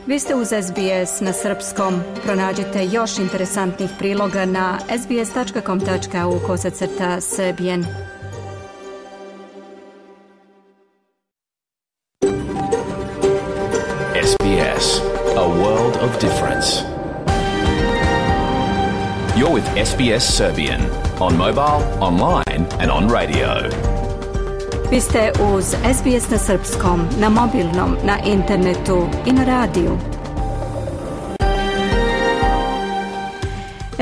Vi ste uz SBS na srpskom. Pronađite još interesantnih priloga na sbs.com.au/srbijen. SBS, a world of difference. You're with SBS Serbian on mobile, online and on radio. Vi ste uz SBS na srpskom, na mobilnom, na internetu i na radiju.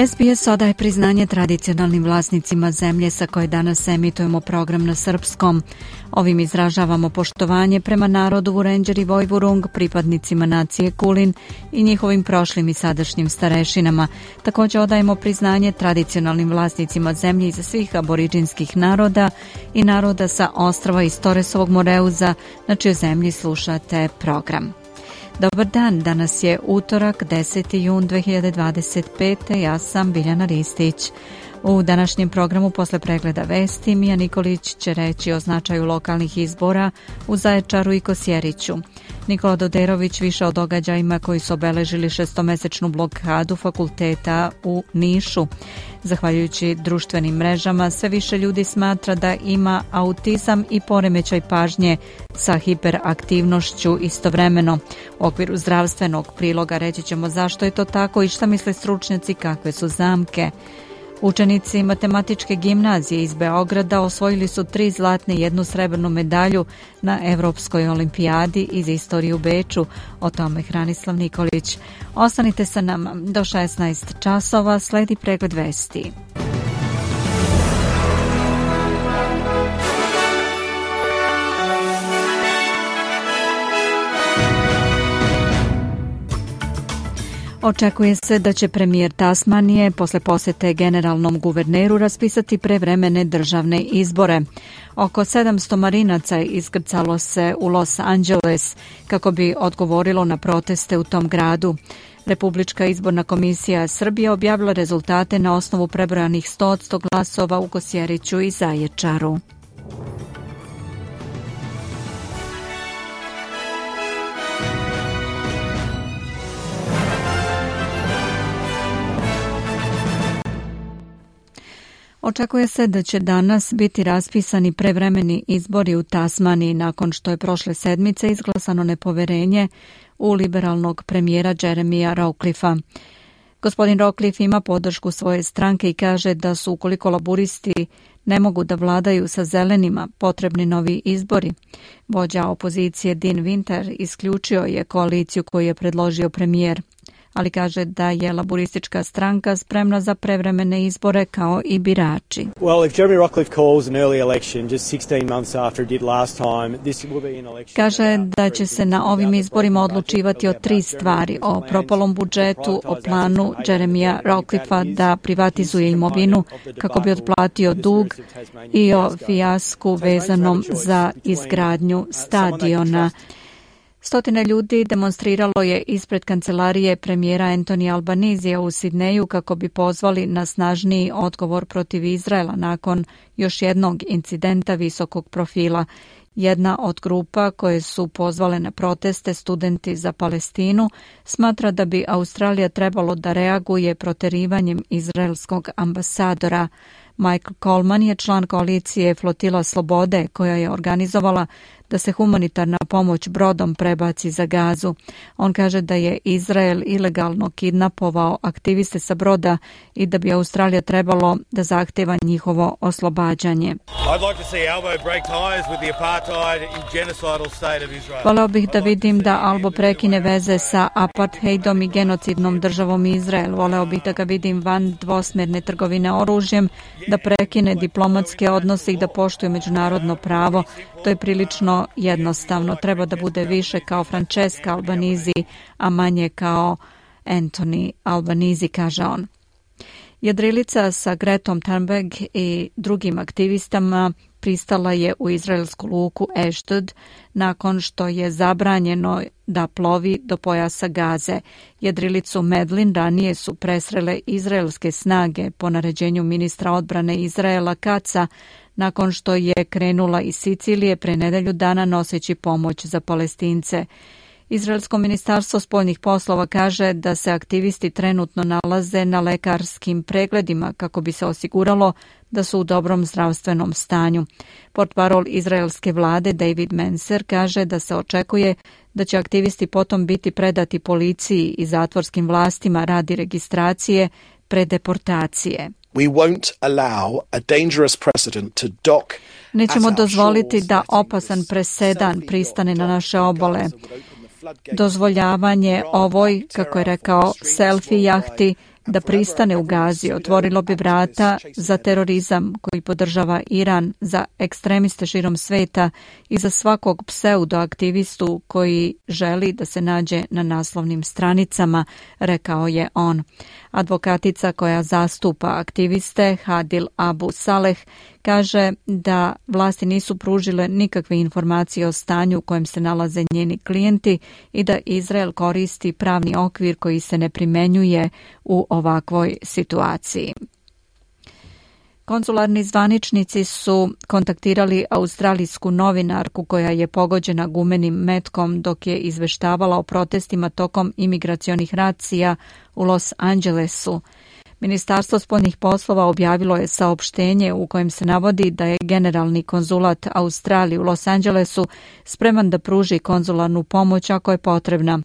SBS odaje priznanje tradicionalnim vlasnicima zemlje sa koje danas emitujemo program na srpskom. Ovim izražavamo poštovanje prema narodu Vurenđer i Vojvurung, pripadnicima nacije Kulin i njihovim prošlim i sadašnjim starešinama. Također odajemo priznanje tradicionalnim vlasnicima zemlje iza svih aboriđinskih naroda i naroda sa ostrava iz Toresovog Moreuza, na čijoj zemlji slušate program. Dobar dan, danas je utorak, 10. jun 2025. Ja sam Biljana Ristić. U današnjem programu posle pregleda vesti Mija Nikolić će reći o značaju lokalnih izbora u Zaječaru i Kosjeriću. Nikola Doderović više o događajima koji su obeležili 6-mesečnu blokadu fakulteta u Nišu. Zahvaljujući društvenim mrežama, sve više ljudi smatra da ima autizam i poremećaj pažnje sa hiperaktivnošću istovremeno. U okviru zdravstvenog priloga reći ćemo zašto je to tako i šta misle stručnjaci, kakve su zamke. Učenici matematičke gimnazije iz Beograda osvojili su 3 zlatne i 1 srebrnu medalju na Evropskoj olimpijadi iz istorije u Beču. O tome Hranislav Nikolić. Ostanite sa nama do 16 časova, sledi pregled vesti. Očekuje se da će premijer Tasmanije posle posete generalnom guverneru raspisati prevremene državne izbore. Oko 700 marinaca iskrcalo se u Los Angeles kako bi odgovorilo na proteste u tom gradu. Republička izborna komisija Srbije objavila rezultate na osnovu prebrojanih 100% glasova u Kosjeriću i Zaječaru. Očekuje se da će danas biti raspisani prevremeni izbori u Tasmaniji nakon što je prošle sedmice izglasano nepoverenje u liberalnog premijera Jeremija Rawcliffa. Gospodin Rawcliffe ima podršku svoje stranke i kaže da su, ukoliko laburisti ne mogu da vladaju sa zelenima, potrebni novi izbori. Vođa opozicije Dean Winter isključio je koaliciju koju je predložio premijer, ali kaže da je laburistička stranka spremna za prevremene izbore kao i birači. Kaže da će se na ovim izborima odlučivati o 3 stvari: o propalom budžetu, o planu Jeremija Rawcliffa da privatizuje imovinu kako bi otplatio dug i o fijasku vezanom za izgradnju stadiona. Stotine ljudi demonstriralo je ispred kancelarije premijera Anthony Albanizija u Sidneju kako bi pozvali na snažniji odgovor protiv Izraela nakon još jednog incidenta visokog profila. Jedna od grupa koje su pozvale na proteste, Studenti za Palestinu, smatra da bi Australija trebalo da reaguje proterivanjem izraelskog ambasadora. Michael Coleman je član koalicije Flotila Slobode koja je organizovala da se humanitarna pomoć brodom prebaci za Gazu. On kaže da je Izrael ilegalno kidnapovao aktiviste sa broda i da bi Australija trebalo da zahteva njihovo oslobađanje. Voleo bih da vidim da Albo prekine veze sa apartheidom i genocidnom državom Izrael. Voleo bih da ga vidim van dvosmjerne trgovine oružjem, da prekine diplomatske odnose i da poštuje međunarodno pravo. To je prilično jednostavno. Treba da bude više kao Francesca Albanese, a manje kao Anthony Albanese, kaže on. Jedrilica sa Gretom Thunberg i drugim aktivistama pristala je u izraelsku luku Ashdod nakon što je zabranjeno da plovi do pojasa Gaze. Jedrilicu Medlin ranije su presrele izraelske snage po naređenju ministra odbrane Izraela Katza nakon što je krenula iz Sicilije pre nedelju dana noseći pomoć za Palestince. Izraelsko ministarstvo spoljnih poslova kaže da se aktivisti trenutno nalaze na lekarskim pregledima kako bi se osiguralo da su u dobrom zdravstvenom stanju. Portparol izraelske vlade David Menser kaže da se očekuje da će aktivisti potom biti predati policiji i zatvorskim vlastima radi registracije pre deportacije. Nećemo dozvoliti da opasan presedan pristane na naše obale. Dozvoljavanje ovoj, kako je rekao, selfie jahti da pristane u Gazi otvorilo bi vrata za terorizam koji podržava Iran, za ekstremiste širom sveta i za svakog pseudoaktivistu koji želi da se nađe na naslovnim stranicama, rekao je on. Advokatica koja zastupa aktiviste, Hadil Abu Saleh, kaže da vlasti nisu pružile nikakve informacije o stanju u kojem se nalaze njeni klijenti i da Izrael koristi pravni okvir koji se ne primenjuje u ovakvoj situaciji. Konzularni zvaničnici su kontaktirali australijsku novinarku koja je pogođena gumenim metkom dok je izveštavala o protestima tokom imigracionih racija u Los Angelesu. Ministarstvo spoljnih poslova objavilo je saopštenje u kojem se navodi da je generalni konzulat Australije u Los Angelesu spreman da pruži konzularnu pomoć ako je potrebna.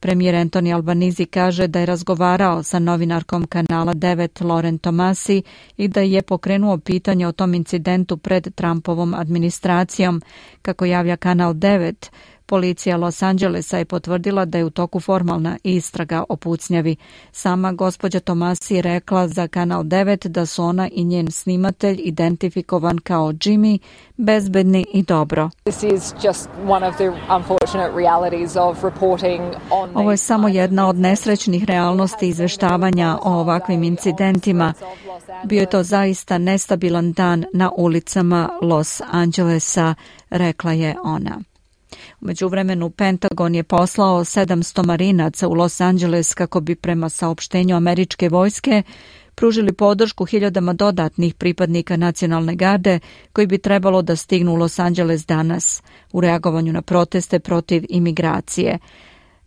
Premijer Anthony Albanese kaže da je razgovarao sa novinarkom kanala 9 Lauren Tomasi i da je pokrenuo pitanje o tom incidentu pred Trumpovom administracijom. Kako javlja kanal 9, policija Los Angelesa je potvrdila da je u toku formalna istraga o pucnjavi. Sama gospođa Tomasi je rekla za kanal 9 da su ona i njen snimatelj identifikovan kao Jimmy, bezbedni i dobro. Ovo je samo jedna od nesrećnih realnosti izveštavanja o ovakvim incidentima. Bio je to zaista nestabilan dan na ulicama Los Angelesa, rekla je ona. U međuvremenu Pentagon je poslao 700 marinaca u Los Angeles kako bi prema saopštenju američke vojske pružili podršku hiljadama dodatnih pripadnika nacionalne garde koji bi trebalo da stignu u Los Angeles danas u reagovanju na proteste protiv imigracije.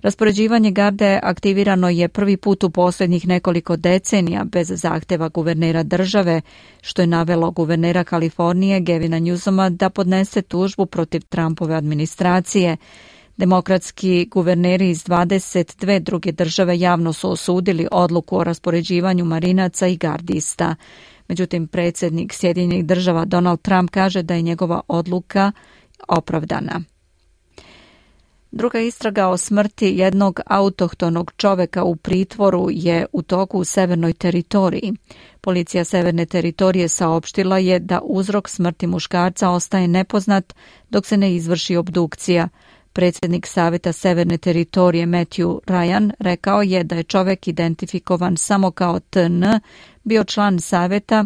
Raspoređivanje garde aktivirano je prvi put u posljednjih nekoliko decenija bez zahteva guvernera države, što je navelo guvernera Kalifornije Gavina Newsoma da podnese tužbu protiv Trumpove administracije. Demokratski guverneri iz 22 druge države javno su osudili odluku o raspoređivanju marinaca i gardista. Međutim, predsjednik Sjedinjenih država Donald Trump kaže da je njegova odluka opravdana. Druga istraga o smrti jednog autohtonog čoveka u pritvoru je u toku u Severnoj teritoriji. Policija Severne teritorije saopštila je da uzrok smrti muškarca ostaje nepoznat dok se ne izvrši obdukcija. Predsjednik Saveta Severne teritorije Matthew Ryan rekao je da je čovek identifikovan samo kao TN bio član saveta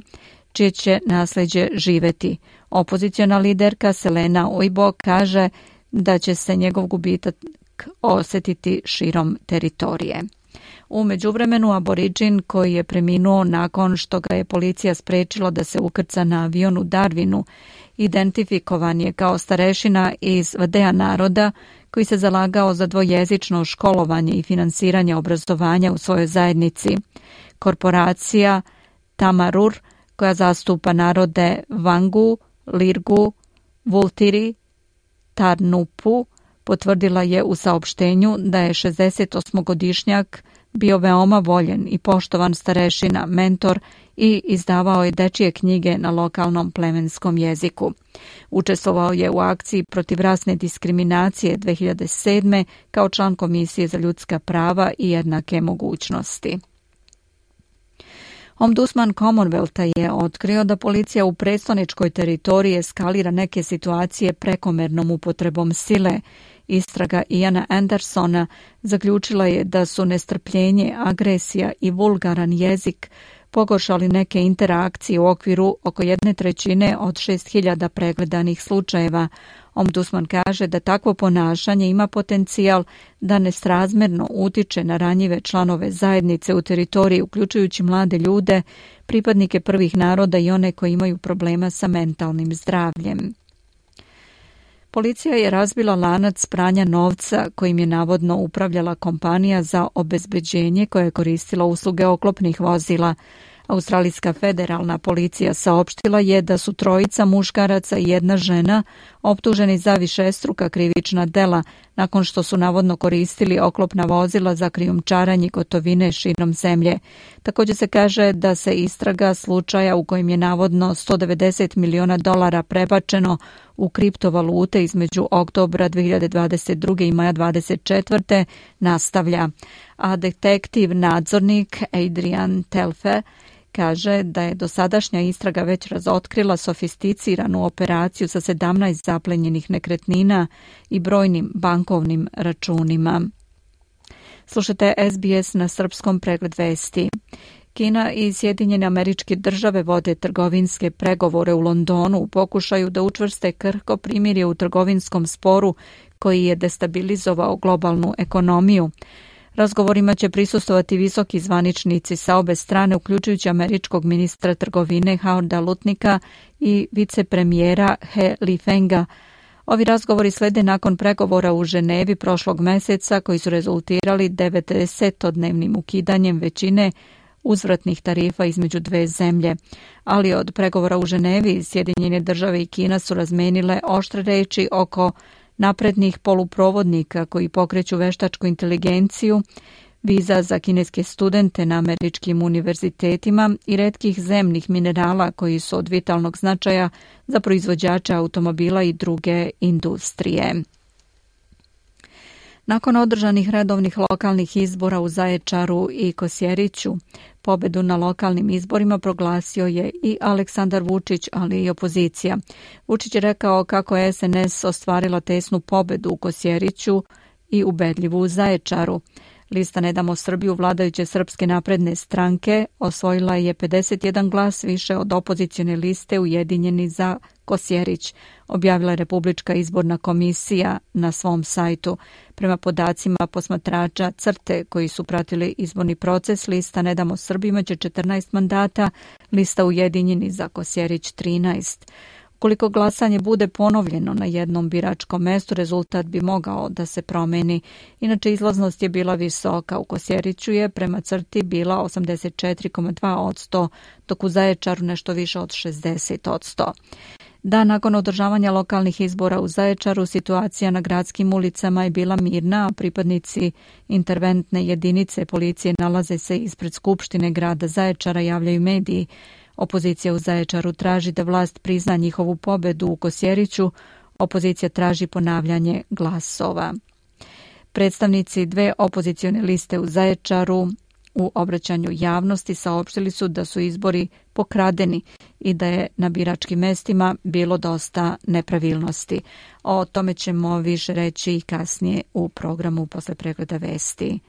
čije će nasljeđe živeti. Opoziciona liderka Selena Ojbo kaže da će se njegov gubitak osjetiti širom teritorije. U međuvremenu aboriđin koji je preminuo nakon što ga je policija sprečila da se ukrca na avion u Darwinu, identifikovan je kao starešina iz Vadea naroda koji se zalagao za dvojezično školovanje i finansiranje obrazovanja u svojoj zajednici. Korporacija Tamarur, koja zastupa narode Vangu, Lirgu, Vultiri, Tarnupu, potvrdila je u saopštenju da je 68-godišnjak bio veoma voljen i poštovan starešina, mentor i izdavao je dečije knjige na lokalnom plemenskom jeziku. Učestvovao je u akciji protiv rasne diskriminacije 2007. kao član Komisije za ljudska prava i jednake mogućnosti. Ombudsman Commonwealtha je otkrio da policija u predstavničkoj teritoriji eskalira neke situacije prekomernom upotrebom sile. Istraga Iana Andersona zaključila je da su nestrpljenje, agresija i vulgaran jezik pogoršali neke interakcije u okviru oko 1/3 od 6.000 pregledanih slučajeva. Ombudsman kaže da takvo ponašanje ima potencijal da nesrazmjerno utiče na ranjive članove zajednice u teritoriji, uključujući mlade ljude, pripadnike prvih naroda i one koji imaju problema sa mentalnim zdravljem. Policija je razbila lanac pranja novca kojim je navodno upravljala kompanija za obezbeđenje koja je koristila usluge oklopnih vozila. Australijska federalna policija saopštila je da su 3 muškaraca i 1 žena optuženi za višestruka krivična dela nakon što su navodno koristili oklopna vozila za krijumčarenje gotovine širom zemlje. Također se kaže da se istraga slučaja u kojem je navodno $190 miliona prebačeno u kriptovalute između oktobra 2022. i maja 2024. nastavlja. A detektiv nadzornik Adrian Telfer kaže da je dosadašnja istraga već razotkrila sofisticiranu operaciju sa 17 zaplenjenih nekretnina i brojnim bankovnim računima. Slušajte SBS na srpskom, pregled vesti. Kina i Sjedinjene Američke Države vode trgovinske pregovore u Londonu u pokušaju da učvrste krhko primirje u trgovinskom sporu koji je destabilizovao globalnu ekonomiju. Razgovorima će prisustvovati visoki zvaničnici sa obe strane, uključujući američkog ministra trgovine Howarda Lutnika i vicepremijera He Lifenga. Ovi razgovori slede nakon pregovora u Ženevi prošlog meseca koji su rezultirali 90-dnevnim ukidanjem većine uzvratnih tarifa između dve zemlje. Ali od pregovora u Ženevi Sjedinjene Države i Kina su razmenile oštre reči oko naprednih poluprovodnika koji pokreću veštačku inteligenciju, viza za kineske studente na američkim univerzitetima i retkih zemnih minerala koji su od vitalnog značaja za proizvođače automobila i druge industrije. Nakon održanih redovnih lokalnih izbora u Zaječaru i Kosjeriću, pobedu na lokalnim izborima proglasio je i Aleksandar Vučić, ali i opozicija. Vučić je rekao kako je SNS ostvarila tesnu pobedu u Kosjeriću i ubedljivu u Zaječaru. Lista Ne damo Srbiju vladajuće Srpske napredne stranke osvojila je 51 glas više od opozicione liste Ujedinjeni za Kosjerić, objavila je Republička izborna komisija na svom sajtu. Prema podacima posmatrača CRTE koji su pratili izborni proces, lista Ne damo Srbiju imaće 14 mandata, lista Ujedinjeni za Kosjerić 13. Ukoliko glasanje bude ponovljeno na jednom biračkom mestu, rezultat bi mogao da se promeni. Inače, izlaznost je bila visoka. U Kosjeriću je prema CRTI bila 84,2%, dok u Zaječaru nešto više od 60%. Dan nakon održavanja lokalnih izbora u Zaječaru, situacija na gradskim ulicama je bila mirna, a pripadnici interventne jedinice policije nalaze se ispred Skupštine grada Zaječara, javljaju mediji. Opozicija u Zaječaru traži da vlast prizna njihovu pobedu u Kosjeriću. Opozicija traži ponavljanje glasova. Predstavnici dve opozicione liste u Zaječaru u obraćanju javnosti saopštili su da su izbori pokradeni i da je na biračkim mestima bilo dosta nepravilnosti. O tome ćemo više reći i kasnije u programu posle pregleda vesti.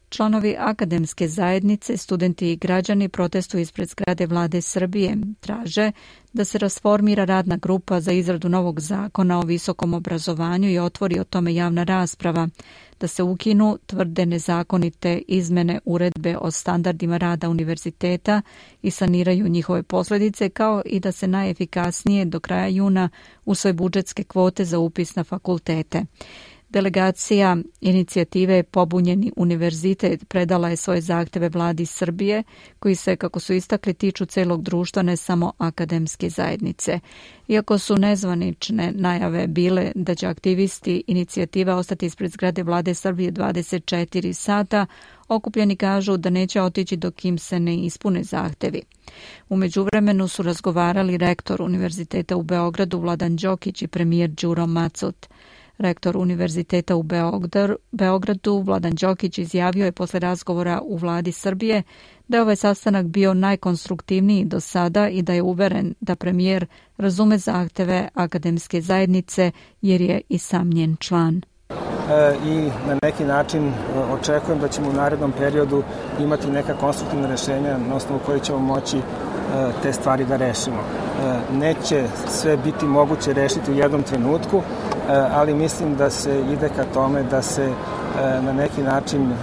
Članovi akademske zajednice, studenti i građani protestuju ispred zgrade Vlade Srbije. Traže da se rasformira radna grupa za izradu novog zakona o visokom obrazovanju i otvori o tome javna rasprava, da se ukinu tvrde nezakonite izmene uredbe o standardima rada univerziteta i saniraju njihove posljedice, kao i da se najefikasnije do kraja juna usvoje budžetske kvote za upis na fakultete. Delegacija inicijative Pobunjeni univerzitet predala je svoje zahteve Vladi Srbije, koji se, kako su istakli, tiču celog društva, ne samo akademske zajednice. Iako su nezvanične najave bile da će aktivisti inicijative ostati ispred zgrade Vlade Srbije 24 sata, okupljeni kažu da neće otići dok im se ne ispune zahtevi. U međuvremenu su razgovarali rektor Univerziteta u Beogradu Vladan Đokić i premijer Đuro Macut. Rektor Univerziteta u Beogradu Vladan Đokić izjavio je posle razgovora u Vladi Srbije da je ovaj sastanak bio najkonstruktivniji do sada i da je uveren da premijer razume zahteve akademske zajednice jer je i sam njen član. I na neki način očekujem da ćemo u narednom periodu imati neka konstruktivna rješenja na osnovu koje ćemo moći te stvari da rešimo. Neće sve biti moguće rešiti u jednom trenutku, ali mislim da se ide ka tome da se na neki način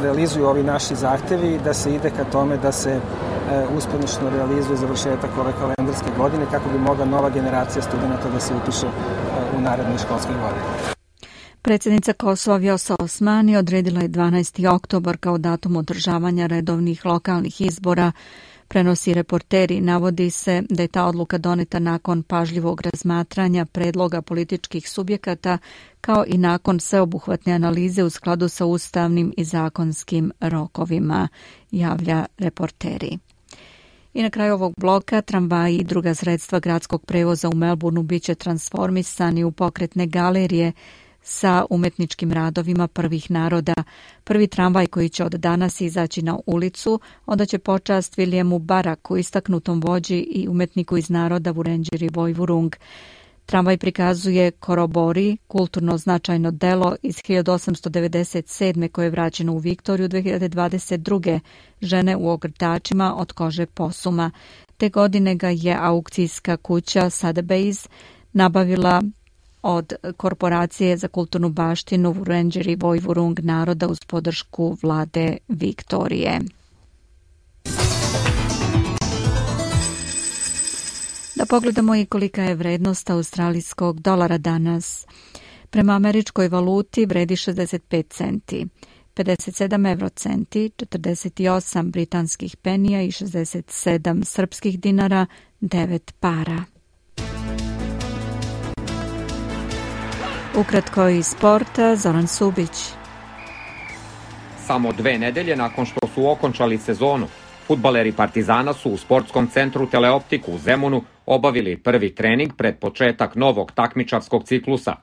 realizuju ovi naši zahtevi i da se ide ka tome da se uspešno realizuje završetak ove kalendarske godine kako bi mogla nova generacija studenta da se upiše u narednoj školskoj godini. Predsjednica Kosova Vjosa Osmani odredila je 12. oktobar kao datum održavanja redovnih lokalnih izbora. Prenosi Reporteri, navodi se da je ta odluka doneta nakon pažljivog razmatranja predloga političkih subjekata kao i nakon sveobuhvatne analize u skladu sa ustavnim i zakonskim rokovima, javlja Reporteri. I na kraju ovog bloka tramvaji i druga sredstva gradskog prevoza u Melbourneu biće transformisani u pokretne galerije sa umetničkim radovima prvih naroda. Prvi tramvaj koji će od danas izaći na ulicu odaće počast Williamu Baraku, istaknutom vođi i umetniku iz naroda Wurundjeri Woiwurrung. Tramvaj prikazuje Korobori, kulturno značajno delo iz 1897. koje je vraćeno u Viktoriju 2022. Žene u ogrtačima od kože posuma. Te godine ga je aukcijska kuća Sotheby's nabavila od Korporacije za kulturnu baštinu Wurundjeri Woiwurrung naroda uz podršku vlade Viktorije. Da pogledamo i kolika je vrednost australijskog dolara danas. Prema američkoj valuti vredi 65 centi, 57 eurocenti, 48 britanskih penija i 67 srpskih dinara, 9 para. Ukratko iz sporta, Zoran Subić. Samo 2 nedelje nakon što su okončali sezonu, fudbaleri Partizana su u sportskom centru Teleoptiku u Zemunu obavili prvi trening pred početak novog takmičarskog ciklusa.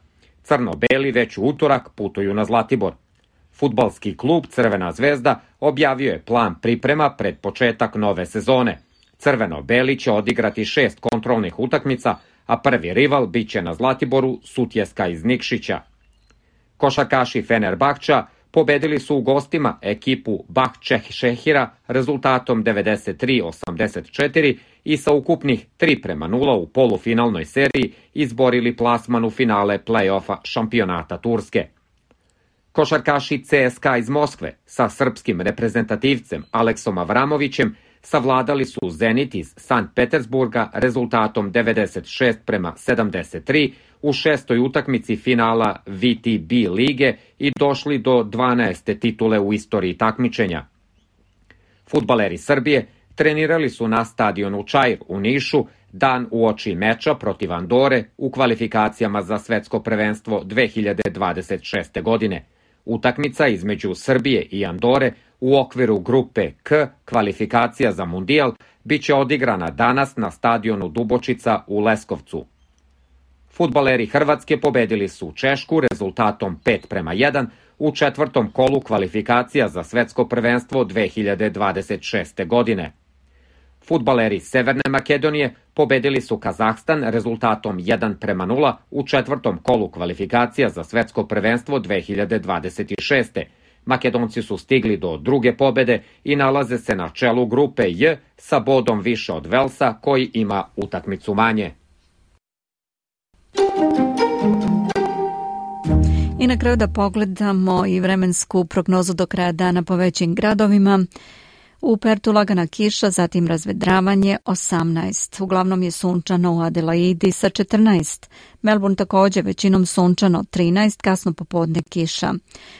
Crno-beli već u utorak putuju na Zlatibor. Fudbalski klub Crvena zvezda objavio je plan priprema pred početak nove sezone. Crveno-beli će odigrati 6 kontrolnih utakmica, a prvi rival biće na Zlatiboru Sutjeska iz Nikšića. Košarkaši Fenerbahča pobedili su u gostima ekipu Bahčehira rezultatom 93-84 i sa ukupnih 3:0 u polufinalnoj seriji izborili plasman u finale play-offa šampionata Turske. Košarkaši CSKA iz Moskve sa srpskim reprezentativcem Aleksom Avramovićem savladali su Zenit iz Sankt Petersburga rezultatom 96-73 u 6. utakmici finala VTB lige i došli do 12. titule u istoriji takmičenja. Fudbaleri Srbije trenirali su na stadionu Čair u Nišu dan uoči meča protiv Andore u kvalifikacijama za svetsko prvenstvo 2026. godine. Utakmica između Srbije i Andore u okviru grupe K kvalifikacija za mundijal biće odigrana danas na stadionu Dubočica u Leskovcu. Fudbaleri Hrvatske pobedili su Češku rezultatom 5:1 u 4. kolu kvalifikacija za svetsko prvenstvo 2026. godine. Fudbaleri Severne Makedonije pobedili su Kazahstan rezultatom 1:0 u 4. kolu kvalifikacija za svetsko prvenstvo 2026. Makedonci su stigli do druge pobede i nalaze se na čelu grupe J sa bodom više od Velsa koji ima utakmicu manje. I na kraju da pogledamo i vremensku prognozu do kraja dana po većim gradovima. U Pertu lagana kiša, zatim razvedravanje 18. Uglavnom je sunčano u Adelaidi sa 14. Melbourne također većinom sunčano 13, kasno popodne kiša.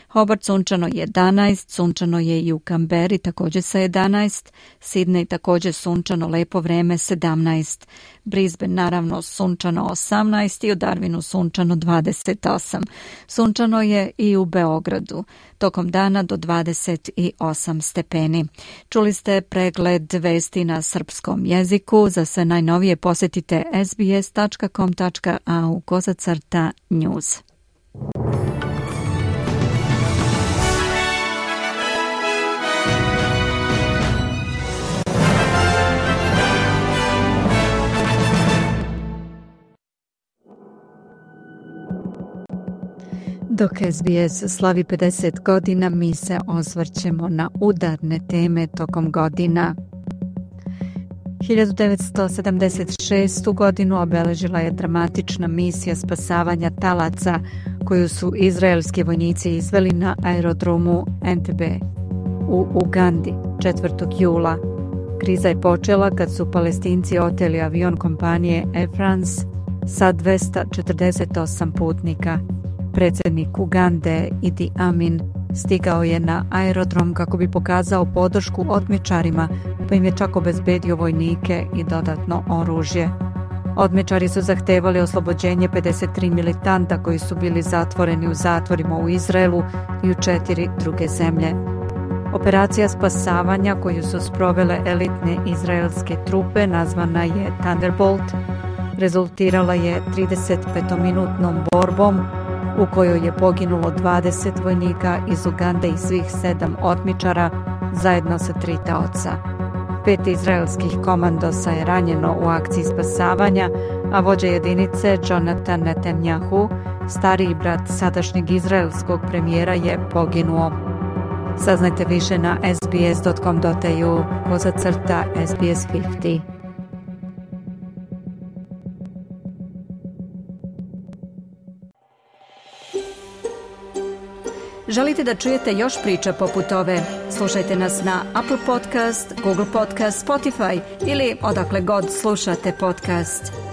Hobart sunčano 11, sunčano je i u Kamberi također sa 11. Sydney također sunčano, lepo vreme 17. Brisbane naravno sunčano 18 i u Darwinu sunčano 28. Sunčano je i u Beogradu. Tokom dana do 28 stepeni. Čuli ste pregled vesti na srpskom jeziku. Za sve najnovije posjetite sbs.com.au/news. Dok SBS slavi 50 godina, mi se osvrćemo na udarne teme tokom godina. 1976. godinu obeležila je dramatična misija spasavanja talaca koju su izraelski vojnici izveli na aerodromu Entebbe u Ugandi 4. jula, Kriza je počela kad su Palestinci oteli avion kompanije Air France sa 248 putnika. Predsjednik Ugande Idi Amin stigao je na aerodrom kako bi pokazao podršku otmičarima, pa im je čak obezbedio vojnike i dodatno oružje. Otmičari su zahtevali oslobođenje 53 militanta koji su bili zatvoreni u zatvorima u Izraelu i u 4 druge zemlje. Operacija spasavanja koju su sprovele elitne izraelske trupe, nazvana je Thunderbolt, rezultirala je 35-minutnom borbom u kojoj je poginulo 20 vojnika iz Ugande i svih 7 otmičara zajedno sa 3 taoca. 5 izraelskih komandosa je ranjeno u akciji spasavanja, a vođa jedinice Jonathan Netanyahu, stariji brat sadašnjeg izraelskog premijera, je poginuo. Saznajte više na sbs.com.au/SBS50. Želite da čujete još priča poput ove? Slušajte nas na Apple Podcast, Google Podcast, Spotify ili odakle god slušate podcast.